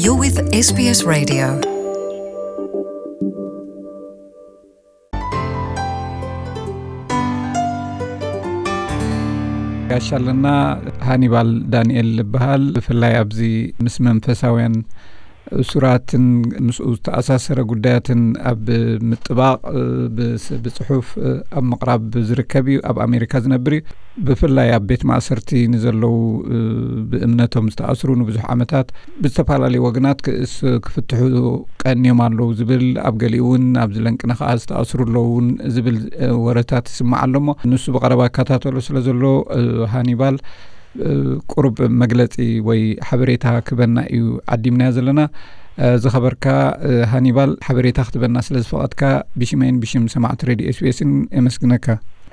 You're with S B S Radio. ጋሻ ኣለና። ሃኒባል ዳንኤል ይበሃል። ብፍላይ ኣብዚ ምስ መንፈሳውያን እሱራትን ምስኡ ዝተኣሳሰረ ጉዳያትን ኣብ ምጥባቕ፣ እ፣ ብስ-፣ ብጽሑፍ፣ እ፣ ኣብ ምቕራብ ዝርከብ እዩ። ኣብ ኣሜሪካ ዝነብር እዩ። ብፍላይ ኣብ ቤት ማእሰርቲ ንዘለዉ፣ እ፣ ብእምነቶም ዝተኣስሩ ንብዙሕ ዓመታት ብዝተፈላለዩ ወገናት ክእስ-፣ ክፍትሑ ቀንዮም ኣለዉ ዝብል፣ ኣብ ገሊኡ እውን ኣብዚ ለንቅነ ከኣ ዝተኣስሩ ኣለዉ እውን ዝብል፣ እ፣ ወረታት ይስማዕ ኣሎ። እሞ ንሱ ብቐረባ ይከታተሎ ስለ ዘሎ፣ እ፣ ሃኒባል፣ እ፣ ቁሩብ መግለጺ ወይ ሓበሬታ ክበና እዩ ዓዲምናዮ ዘለና። እ፣ ዝኸበርካ፣ እ፣ ሃኒባል፣ ሓበሬታ ክትበና ስለ ዝፈቐድካ ብሽመይን ብሽም ሰማዕቲ ሬድዮ ኤስ ቢ ኤስን የመስግነካ።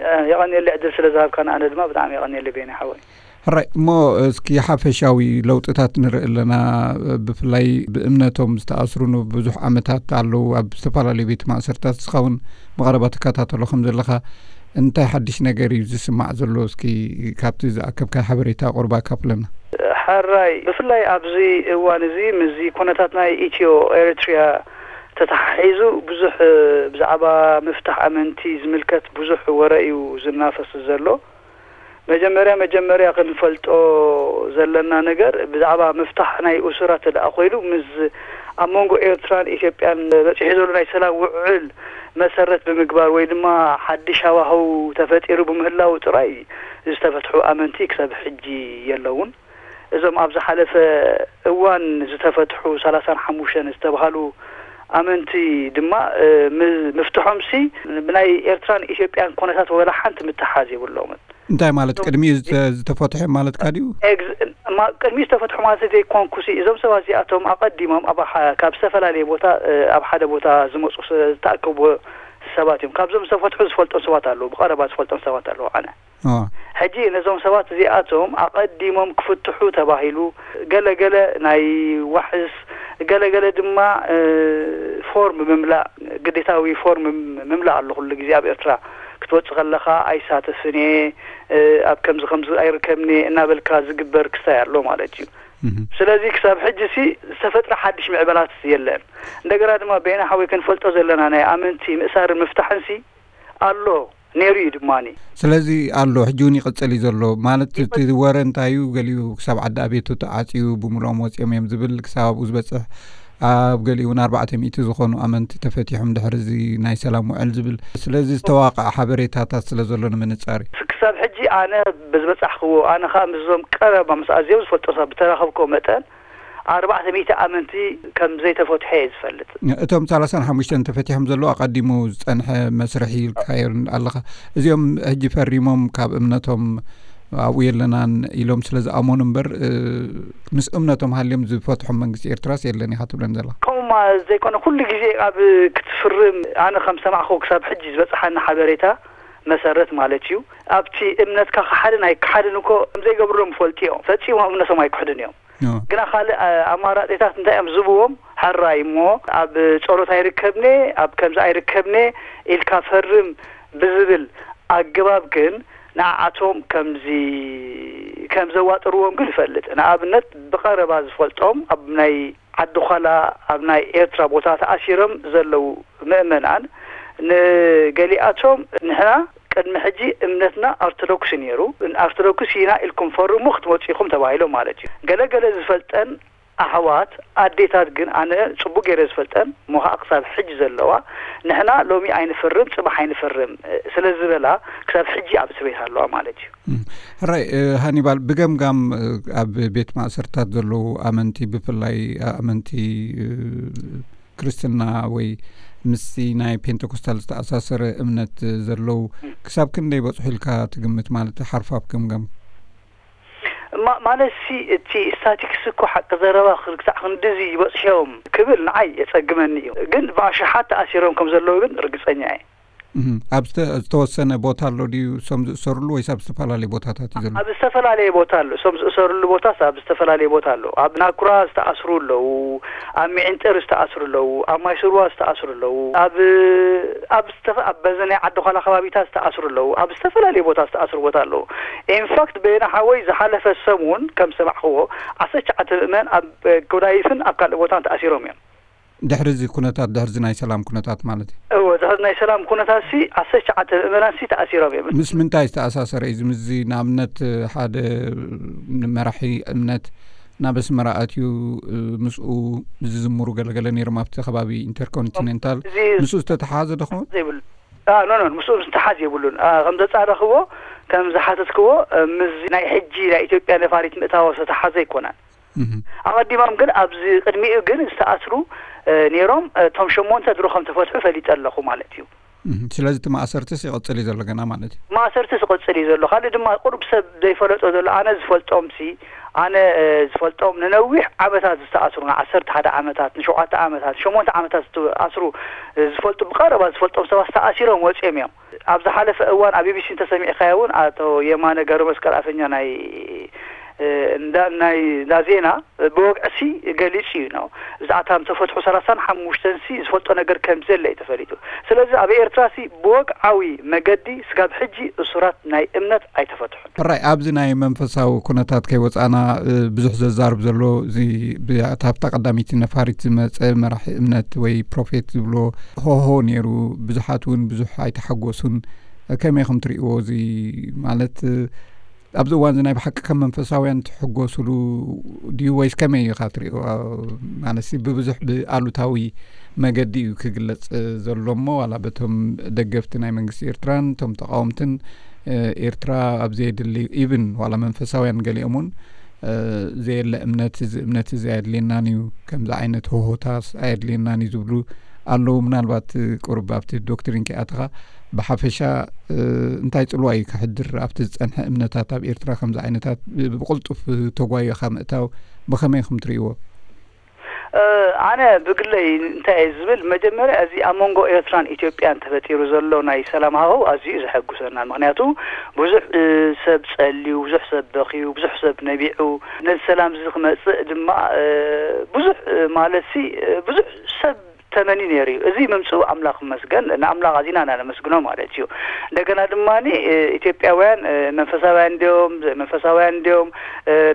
እ፣ የቐንየለይ ዕድል ስለ ዝሃብካና፣ ኣነ ድማ ብጣዕሚ የቐንየለይ ቤኒ ሓወይ። ሕራይ እሞ፣ እስኪ ሓፈሻዊ ለውጥታት ንርኢ ኣለና። ብፍላይ ብእምነቶም ዝተኣስሩ ንብዙሕ ዓመታት ኣለዉ ኣብ ዝተፈላለዩ ቤት ማእሰርታት። ንስኻ እውን ብቐረባ ትከታተሎ ከም ዘለኻ፣ እንታይ ሓድሽ ነገር እዩ ዝስማዕ ዘሎ? እስኪ ካብቲ ዝኣከብካ ሓበሬታ ቁርባ ኣካፍለና። ሕራይ፣ ብፍላይ ኣብዚ እዋን እዚ ምስዚ ኩነታት ናይ ኢትዮ ኤሪትሪያ ተተሓሒዙ ብዙሕ፣ እ፣ ብዛዕባ ምፍታሕ ኣመንቲ ዝምልከት ብዙሕ ወረ እዩ ዝናፈስ ዘሎ። መጀመርያ መጀመርያ ክንፈልጦ ዘለና ነገር፣ ብዛዕባ ምፍታሕ ናይ እሱራት ተደኣ ኮይኑ፣ ምስ ኣብ መንጎ ኤርትራን ኢትዮጵያን በጺሑ ዘሎ ናይ ሰላም ውዕል መሰረት ብምግባር ወይ ድማ ሓድሽ ሃዋህው ተፈጢሩ ብምህላው ጥራይ ዝተፈትሑ ኣመንቲ ክሳብ ሕጂ የለውን። እዞም ኣብ ዝሓለፈ እዋን ዝተፈትሑ ሰላሳን ሓሙሽተን ዝተባሃሉ ኣመንቲ ድማ፣ እ፣ ም-፣ ምፍትሖምሲ ብናይ ኤርትራን ኢትዮጵያን ኩነታት ወላ ሓንቲ ምትሓዝ የብሎምን። እንታይ ማለት? እዞም ቅድሚኡ ዝተ-፣ ዝተፈትሑ ማለትካ ድዩ? ኤግዝ-፣ ማ-፣ ቅድሚኡ ዝተፈትሑ ማለት ዘይኮንኩሲ፣ እዞም ሰባት እዚኣቶም ኣቐዲሞም ኣብ ሓ-፣ ካብ ዝተፈላለየ ቦታ፣ እ፣ ኣብ ሓደ ቦታ ዝመጹ ስ-፣ ዝተኣከቡ ሰባት እዮም። ካብዞም ዝተፈትሑ ዝፈልጦም ሰባት ኣለዉ፣ ብቐረባ ዝፈልጦም ሰባት ኣለዉ። ኣነ እዋ። ሕጂ ነዞም ሰባት እዚኣቶም ኣቐዲሞም ክፍትሑ ተባሂሉ፣ ገለገለ ናይ ዋሕስ፣ ገለገለ ድማ፣ እ፣ ፎርም ምምላእ፣ ግዴታዊ ፎርም ምም-፣ ምምላእ ኣሎ። ኩሉ ግዜ ኣብ ኤርትራ ክትወጽእ ከለኻ ኣይሳተፍን እየ፣ እ፣ ኣብ ከምዚ ከምዚ ኣይርከብን እየ እናበልካ ዝግበር ክስታይ ኣሎ ማለት እዩ። እህ። ስለዚ ክሳብ ሕጂ ሲ ዝተፈጥረ ሓድሽ ምዕበላት የለን። እንደገና ድማ ቤና ሓወይ ክንፈልጦ ዘለና ናይ ኣመንቲ ምእሳርን ምፍታሕን ሲ ኣሎ፣ ነይሩ እዩ ድማኒ። ስለዚ ኣሎ፣ ሕጂ እውን ይቕጽል እዩ ዘሎ። ማለት እቲ ይቕጽ- ወረ እንታይ እዩ? ገሊኡ ክሳብ ዓዲ ኣቤቱ ተዓጽዩ ብምልኦም ወጺኦም እዮም ዝብል፣ ክሳብ ኣብኡ ዝበጽሕ፣ ኣብ ገሊኡ እውን ኣርባዕተ ሚእቲ ዝኾኑ ኣመንቲ ተፈቲሖም ድሕሪ እዚ ናይ ሰላም ውዕል ዝብል። ስለዚ ዝተዋቕዐ ሓበሬታታት ስለ ዘሎ ንምንጻር እዩ። ክሳብ ሕጂ ኣነ ብዝበጻሕክዎ፣ ኣነ ኸኣ ምስዞም ቀረባ ምስ ኣዝዮም ዝፈልጦ ሰባት ብተራኸብክዎ መጠን፣ ኣርባዕተ ሚእቲ ኣመንቲ ከም ዘይተፈትሐ እየ ዝፈልጥ። እቶም ሰላሳን ሓሙሽተን ተፈቲሖም ዘለዉ ኣቐዲሙ ዝጸንሐ መስርሕ ኢልካዮ ኣለኻ። እዚኦም ሕጂ ፈሪሞም ካብ እምነቶም ኣብኡ የለናን ኢሎም ስለ ዝኣመኑ እምበር፣ እ፣ ምስ እምነቶም ሃልዮም ዝፈትሖም መንግስቲ ኤርትራስ የለን ኢኻ ትብለን ዘለኻ። ከምኡማ ዘይኮነ፣ ኩሉ ግዜ ኣብ ክትፍርም፣ ኣነ ከም ሰማዕኩ ክሳብ ሕጂ ዝበጽሓኒ ሓበሬታ መሰረት ማለት እዩ፣ ኣብቲ እምነትካ ክሓድን ኣይክሓድን እኮ ከም ዘይገብርሎም ይፈልጡ እዮም። ፈጺሞም እምነቶም ኣይክሕዱን እዮም። ኦ። ግና ካልእ፣ ኣ-፣ ኣማራጺታት እንታይ እዮም ዝህብዎም? ሕራይ እሞ ኣብ ጸሎት ኣይርከብን እየ፣ ኣብ ከምዚ ኣይርከብን እየ ኢልካ ፈርም ብዝብል ኣገባብ ግን ንዓኣቶም ከምዚ፣ ከም ዘዋጥርዎም ግን እፈልጥ። ንኣብነት ብቐረባ ዝፈልጦም ኣብ ናይ ዓዲ ዃላ ኣብ ናይ ኤርትራ ቦታ ተኣሲሮም ዘለዉ ምእመናን ንገሊኣቶም ንሕና ቅድሚ ሕጂ እምነትና ኦርቶዶክስ ነይሩ፣ ኦርቶዶክስ ኢና ኢልኩም ፈርሙ ክትመጹ ኢኹም ተባሂሎም ማለት እዩ። ገለ ገለ ዝፈልጠን ኣሕዋት ኣዴታት ግን ኣነ ጽቡቅ ገይረ ዝፈልጠን እሞ ኸኣ ክሳብ ሕጂ ዘለዋ ንሕና ሎሚ ኣይንፍርም ጽባሕ ኣይንፍርም ስለ ዝበላ ክሳብ ሕጂ ኣብ እስር ቤት ኣለዋ ማለት እዩ። እም፣ ሕራይ፣ እ፣ ሃኒባል፣ ብገምጋም፣ እ፣ ኣብ ቤት ማእሰርታት ዘለዉ ኣመንቲ፣ ብፍላይ ኣመንቲ፣ እ፣ ክርስትና ወይ ምስቲ ናይ ፔንተኮስታል ዝተኣሳሰረ እምነት ዘለዉ፣ እም። ክሳብ ክንደይ በጽሑ ኢልካ ትግምት? ማለት ሓርፋፍ ገምጋም። ማ-፣ ማለት ሲ፣ እቲ ስታቲክስ እኮ ሓቂ ዘረባ ክሳዕ ክንድዚ ይበጽሑ እዮም ክብል ንዓይ የጸግመኒ እዩ። ግን ብኣሽሓት ተኣሲሮም ከም ዘለዉ ግን ርግጸኛ እየ። እም፣ ኣብ ዝተ-፣ ዝተወሰነ ቦታ ኣሎ ድዩ እሶም ዝእሰርሉ ወይስ ኣብ ዝተፈላለየ ቦታታት እዩ ዘሎ? ኣብ ዝተፈላለየ ቦታ ኣሎ። እሶም ዝእሰርሉ ቦታስ ኣብ ዝተፈላለየ ቦታ ኣሎ። ኣብ ናኩራ ዝተኣስሩ ኣለዉ፣ ኣብ ሚዕንጥር ዝተኣስሩ ኣለዉ፣ ኣብ ማይስርዋ ዝተኣስሩ ኣለዉ፣ ኣብ ኣብ ዝተፈ ኣብ በዘ ናይ ዓዲ ኳላ ከባቢታት ዝተኣስሩ ኣለዉ፣ ኣብ ዝተፈላለየ ቦታ ዝተኣስሩ ቦታ ኣለዉ። ኢንፋክት በየነ ሓወይ ዝሓለፈ ሰሙን ከም ዝሰማዕኽዎ ዓሰርተ ትሽዓተ ምእመን ኣብ ጎዳይፍን ኣብ ካልእ ቦታን ተኣሲሮም እዮም። ድሕሪ እዚ ኩነታት፣ ድሕሪ እዚ ናይ ሰላም ኩነታት ማለት እዩ። እወ፣ ድሕሪ ናይ ሰላም ኩነታት ሲ ዓሰርተ ትሽዓተ ምእመናን ሲ ተኣሲሮም እዮም። ምስ ምንታይ ዝተኣሳሰረ እዩ እዚ? ምስዚ ንኣብነት ሓደ መራሒ እምነት ናብ ኣስመራ ኣትዩ ምስኡ ዝዝምሩ ገለገለ ነይሮም ኣብቲ ከባቢ ኢንተርኮንቲኔንታል፣ እዚ ምስኡ ዝተተሓሓዘ ዶ ክኸውን? ዘይብሉ ኖ ኖ ምስኡ ዝተሓዝ የብሉን። ከም ዘጻረኽዎ ከም ዝሓተትክዎ ምስዚ ናይ ሕጂ ናይ ኢትዮጵያ ነፋሪት ምእታዎ ዝተተሓዘ ኣይኮነን። ኣቐዲሞም ግን ኣብዚ ቅድሚኡ ግን ዝተኣስሩ ነይሮም። እቶም ሸሞንተ ድሮ ከም ተፈትሑ ፈሊጠ ኣለኹ ማለት እዩ። ስለዚ እቲ ማእሰርትስ ይቕጽል እዩ ዘሎ ገና ማለት እዩ። ማእሰርትስ ይቕጽል እዩ ዘሎ። ካልእ ድማ ቁሩብ ሰብ ዘይፈለጦ ዘሎ፣ ኣነ ዝፈልጦም ሲ ኣነ ዝፈልጦም ንነዊሕ ዓመታት ዝተኣስሩ፣ ዓሰርተ ሓደ ዓመታት፣ ንሸውዓተ ዓመታት፣ ሸሞንተ ዓመታት ዝተኣስሩ ዝፈልጡ፣ ብቐረባ ዝፈልጦም ሰባት ተኣሲሮም ወጺኦም እዮም። ኣብ ዝሓለፈ እዋን ኣብ ቢቢሲ እንተሰሚዕካዮ እውን ኣቶ የማነ ገብረመስቀል ኣፈኛ ናይ እንዳ ናይ እንዳ ዜና ብወግዒ ሲ ገሊጹ እዩ ነው። ብዛዕባ እቶም ዝተፈትሑ ሰላሳን ሓሙሽተን ሲ ዝፈልጦ ነገር ከም ዘለ እዩ ተፈሊጡ። ስለዚ ኣብ ኤርትራ ሲ ብወግዓዊ መገዲ ስጋብ ሕጂ እሱራት ናይ እምነት ኣይተፈትሑን። ሕራይ ኣብዚ ናይ መንፈሳዊ ኩነታት ከይወጻና ብዙሕ ዘዛርብ ዘሎ እዚ ኣብታ ቀዳመይቲ ነፋሪት ዝመጸ መራሒ እምነት ወይ ፕሮፌት ዝብሎ ሆሆ ነይሩ። ብዙሓት እውን ብዙሕ ኣይተሓጎሱን። ከመይ ኢኹም ትርእይዎ? እዚ ማለት ኣብዚ እዋን እዚ ናይ ብሓቂ ከም መንፈሳውያን ትሕጎስሉ ድዩ ወይስ ከመይ ኢኻ ትርእዮ? ማለትሲ ብብዙሕ ብኣሉታዊ መገዲ እዩ ክግለጽ ዘሎ እሞ ዋላ በቶም ደገፍቲ ናይ መንግስቲ ኤርትራን እቶም ተቃወምትን ኤርትራ ኣብ ዘየድሊ ኢቭን ዋላ መንፈሳውያን ገሊኦም እውን ዘየለ እምነት እዚ እምነት እዚ ኣየድልየናን እዩ ከምዚ ዓይነት ሆሆታስ ኣየድልየናን እዩ ዝብሉ ኣለዉ። ምናልባት ቁሩብ ኣብቲ ዶክትሪን ከይኣተኻ ብሓፈሻ እንታይ ጽልዋ እዩ ከሕድር ኣብቲ ዝጸንሐ እምነታት ኣብ ኤርትራ ከምዚ ዓይነታት ብቕልጡፍ ተጓይኻ ምእታው ብኸመይ ኢኹም ትርእይዎ? ኣነ ብግለይ እንታይ እየ ዝብል፣ መጀመርያ እዚ ኣብ መንጎ ኤርትራን ኢትዮጵያን ተፈጢሩ ዘሎ ናይ ሰላም ሃዋህው ኣዝዩ እዩ ዘሐጉሰና። ምኽንያቱ ብዙሕ ሰብ ጸልዩ፣ ብዙሕ ሰብ በኽዩ፣ ብዙሕ ሰብ ነቢዑ። ነዚ ሰላም እዚ ክመጽእ ድማ ብዙሕ ማለት ሲ ብዙሕ ሰብ ተመኒ ነይሩ እዩ። እዚ ምምፅኡ ኣምላኽ ይመስገን፣ ንኣምላኽ ኣዚና ኢና ነመስግኖ ማለት እዩ። እንደገና ድማ ኢትዮጵያውያን መንፈሳውያን እንዲዮም፣ መንፈሳውያን እንዲዮም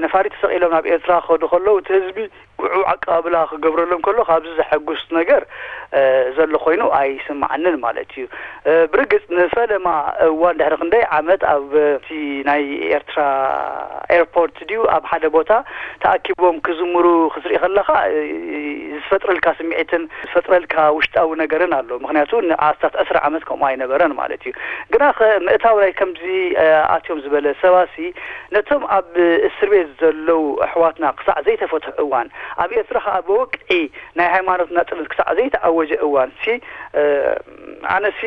ነፋሪት ተሰቒሎም ናብ ኤርትራ ክኸዱ ከለዉ እቲ ህዝቢ ግዑ ኣቀባብላ ክገብረሎም ከሎ ካብዚ ዘሐጉስ ነገር ዘሎ ኮይኑ ኣይስማዓንን ማለት እዩ። ብርግጽ ንፈለማ እዋን ድሕሪ ክንደይ ዓመት ኣብ እቲ ናይ ኤርትራ ኤርፖርት ድዩ ኣብ ሓደ ቦታ ተኣኪቦም ክዝምሩ ክትርኢ ከለኻ ዝፈጥረልካ ስምዒትን ዝፈጥረልካ ውሽጣዊ ነገርን ኣሎ። ምክንያቱ ንኣስታት ዕስራ ዓመት ከምኡ ኣይነበረን ማለት እዩ። ግና ምእታው ናይ ከምዚ ኣትዮም ዝበለ ሰባሲ ነቶም ኣብ እስር ቤት ዘለዉ ኣሕዋትና ክሳዕ ዘይተፈትሑ እዋን ኣብ ኤርትራ ከዓ ብወግዒ ናይ ሃይማኖት ናጽነት ክሳዕ ዘይተኣወጀ እዋን ሲ ኣነሲ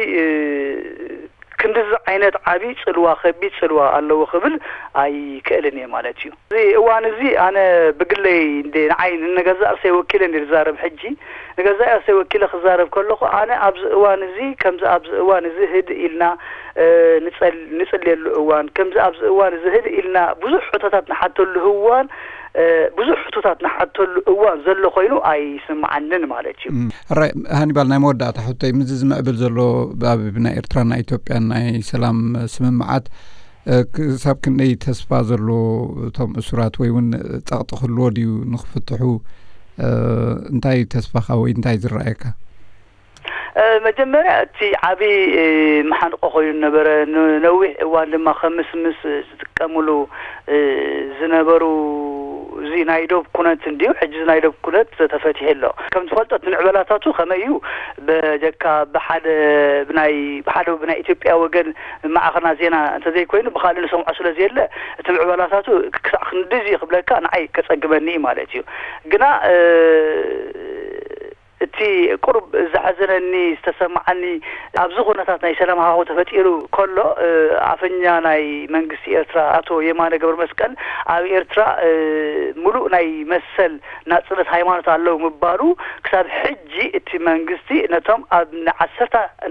ክንድዚ ዓይነት ዓብዪ ጽልዋ ከቢድ ጽልዋ ኣለዎ ክብል ኣይክእልን እየ ማለት እዩ። እዚ እዋን እዚ ኣነ ብግለይ እንደ ንዓይ ንገዛእ ርእሰይ ወኪለ እንደ ዝዛረብ ሕጂ ንገዛእ ርእሰይ ወኪለ ክዛረብ ከለኹ ኣነ ኣብዚ እዋን እዚ ከምዚ ኣብዚ እዋን እዚ ህድእ ኢልና ንጸል ንጽልየሉ እዋን ከምዚ ኣብዚ እዋን እዚ ህድእ ኢልና ብዙሕ ሕቶታት ንሓተሉ እዋን ብዙሕ ሕቶታት ንሓተሉ እዋን ዘሎ ኮይኑ ኣይስምዓንን ማለት እዩ። ሕራይ ሃኒባል ናይ መወዳእታ ሕቶይ ምስዚ ዝምዕብል ዘሎ ኣብ ናይ ኤርትራን ናይ ኢትዮጵያን ናይ ሰላም ስምምዓት ክሳብ ክንደይ ተስፋ ዘሎ እቶም እሱራት ወይ እውን ጸቕጢ ክህልዎ ድዩ ንክፍትሑ እንታይ ተስፋኻ ወይ እንታይ ዝረኣየካ? መጀመርያ እቲ ዓቢ መሓንቆ ኮይኑ ነበረ። ንነዊሕ እዋን ድማ ከም ምስምስ ዝጥቀምሉ ዝነበሩ እዚ ናይ ዶብ ኩነት እንድዩ። ሕጂ እዚ ናይ ዶብ ኩነት ተፈቲሑ ኣሎ። ከም ትፈልጦ እቲ ምዕበላታቱ ከመይ እዩ በጀካ ብሓደ ብናይ ብሓደ ብናይ ኢትዮጵያ ወገን ማዕኸና ዜና እንተዘይኮይኑ ብካልእ ንሰምዖ ስለ ዘየለ እቲ ምዕበላታቱ ክሳዕ ክንድዚ ክብለካ ንዓይ ከጸግመኒ እዩ ማለት እዩ። ግና እቲ ቁሩብ ዘሐዘነኒ ዝተሰማዓኒ ኣብዚ ኩነታት ናይ ሰላም ሃዋሁ ተፈጢሩ ከሎ ኣፈኛ ናይ መንግስቲ ኤርትራ ኣቶ የማነ ገብረ መስቀል ኣብ ኤርትራ ምሉእ ናይ መሰል ናጽነት ሃይማኖት ኣለዉ ምባሉ ክሳብ ሕጂ እቲ መንግስቲ ነቶም ኣብ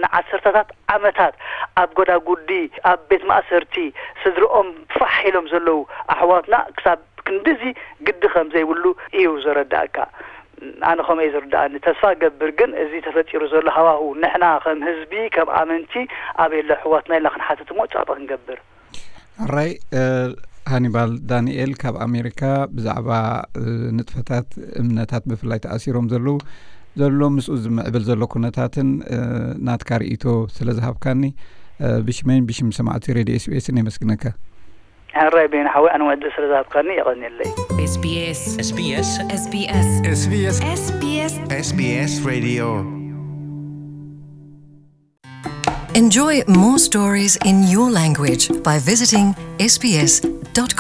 ንዓሰርታታት ዓመታት ኣብ ጎዳጉዲ ኣብ ቤት ማእሰርቲ ስድርኦም ፋሕ ኢሎም ዘለዉ ኣሕዋትና ክሳብ ክንድዚ ግዲ ከም ዘይብሉ እዩ ዘረዳእካ። ኣነ ከምኡ እዩ ዝርዳእኒ። ተስፋ ገብር ግን እዚ ተፈጢሩ ዘሎ ሃዋሁ ንሕና ከም ህዝቢ ከም ኣመንቲ ኣበይ ኣሎ ኣሕዋትና ኢልና ክንሓትት እሞ ጸቕጢ ክንገብር። ሕራይ ሃኒባል ዳንኤል ካብ ኣሜሪካ ብዛዕባ ንጥፈታት እምነታት ብፍላይ ተኣሲሮም ዘለዉ ዘሎ ምስኡ ዝምዕብል ዘሎ ኩነታትን ናትካ ርእይቶ ስለ ዝሃብካኒ ብሽመይን ብሽም ሰማዕቲ ሬድዮ ኤስቢኤስን የመስግነካ። ሕራይ ቤን ሓወይ ኣነ ወዲ ስለ ዝሃብካኒ የቐንየለይ። SBS SBS SBS SBS SBS SBS Radio. Enjoy more stories in your language by visiting sbs.com.au.